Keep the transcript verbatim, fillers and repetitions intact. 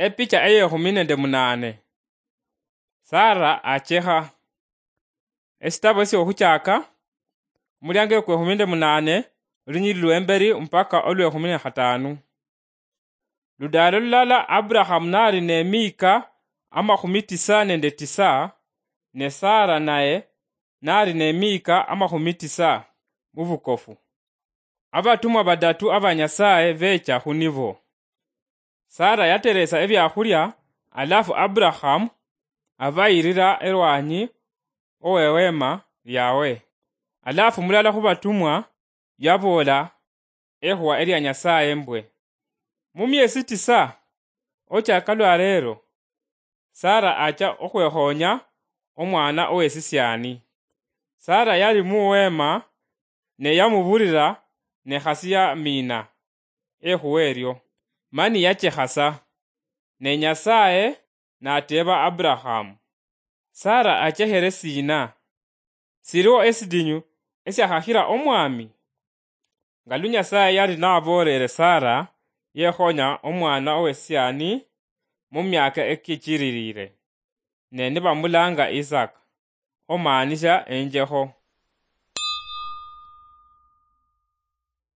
Epicha eyekhumi nende munane. Sara achekha. Esitabo esyohuchaka, omuliango ekwekhumi nende munane, olunyili lwemberi mpaka olwekhumi ne khatanu. Ludaalo lulala Aburahamu nali nemiika amakhumi tisa nende tisa, ne Sara naye nali nemiika amakhumi tisa mubukofu. Abatumwa badatu aba Nyasaye becha hunibo. Sara yateresa ebiakhulia, alafu Aburahamu abayirira erwanyi oweweema lyawe. Alafu mulala khubatumwa yaboola ekhuwa elia Nyasaye mbwe, "Mumyesi tisa ochaka lwaleero, Sara acha okhwekhonya omwana owesisiani." Sara yali muweema, ne yamubulira ne khasi yamiina ekhuwa erio, mani yachekhasa. Ne Nyasaye nateeba Aburahamu, "Sara achekhere sina? Siliwo esidinyu esiakhakhira Omwami?" Nga lu Nyasaye yali naboolere Sara yekhonya omwana owesiani mumyaka ekichililile, ne nibamulanga Isaka, omaanisha enjekho.